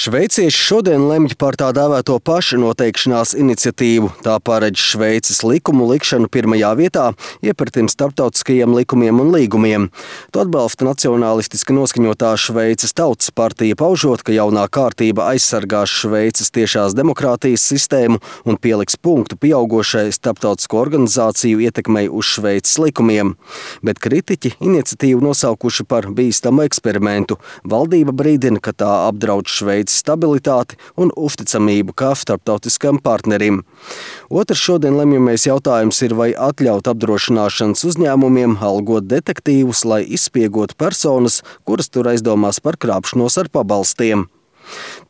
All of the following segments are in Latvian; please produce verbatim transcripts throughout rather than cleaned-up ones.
Šveicieši šodien lemj par tā dēvēto pašnoteikšanās iniciatīvu. Tā paredz Šveices likumu likšanu pirmajā vietā iepratim starptautiskajiem likumiem un līgumiem. To atbalsta nacionālistiski noskaņotā Šveices Tautas partija, paužot, ka jaunā kārtība aizsargās Šveices tiešās demokrātijas sistēmu un pieliks punktu pieaugošai starptautisko organizāciju ietekmei uz Šveices likumiem. Bet kritiķi iniciatīvu nosaukuši par bīstamu eksperimentu. Valdība brīdina, ka tā apdraud Šveices stabilitāti un uzticamību kā starptautiskam partnerim. Otrs šodien lemjamais jautājums ir, vai atļaut apdrošināšanas uzņēmumiem algot detektīvus, lai izspiegotu personas, kuras tur aizdomās par krāpšanos ar pabalstiem.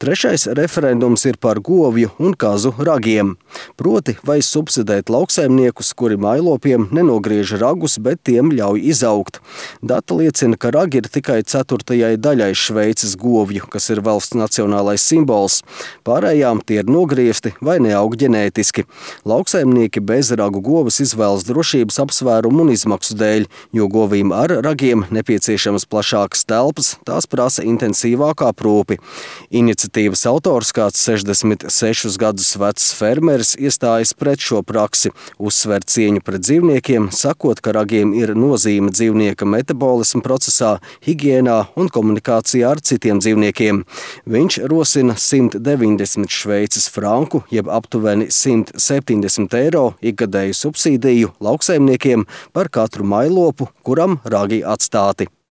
Trešais referendums ir par govju un kazu ragiem. Proti, vai subsidēt lauksaimniekus, kuri mājlopiem nenogriež ragus, bet tiem ļauj izaugt. Data liecina, ka ragi ir tikai ceturtajai daļai Šveices govju, kas ir valsts nacionālais simbols. Pārējām tie ir nogriezti vai neaug ģenētiski. Lauksaimnieki bez ragu govas izvēlas drošības apsvērumu un izmaksu dēļ, jo govīm ar ragiem nepieciešamas plašākas telpas, tās prasa intensīvāku aprūpi. Iniciatīvas autors, kāds sešdesmit sešus gadus vecs fermeris, iestājas pret šo praksi, uzsver cieņu pret dzīvniekiem, sakot, ka ragiem ir nozīme dzīvnieka metabolisma procesā, higiēnā un komunikācijā ar citiem dzīvniekiem. Viņš rosina simt deviņdesmit šveices franku, jeb aptuveni simt septiņdesmit eiro ikgadēju subsīdiju lauksaimniekiem par katru mājlopu, kuram ragi atstāti.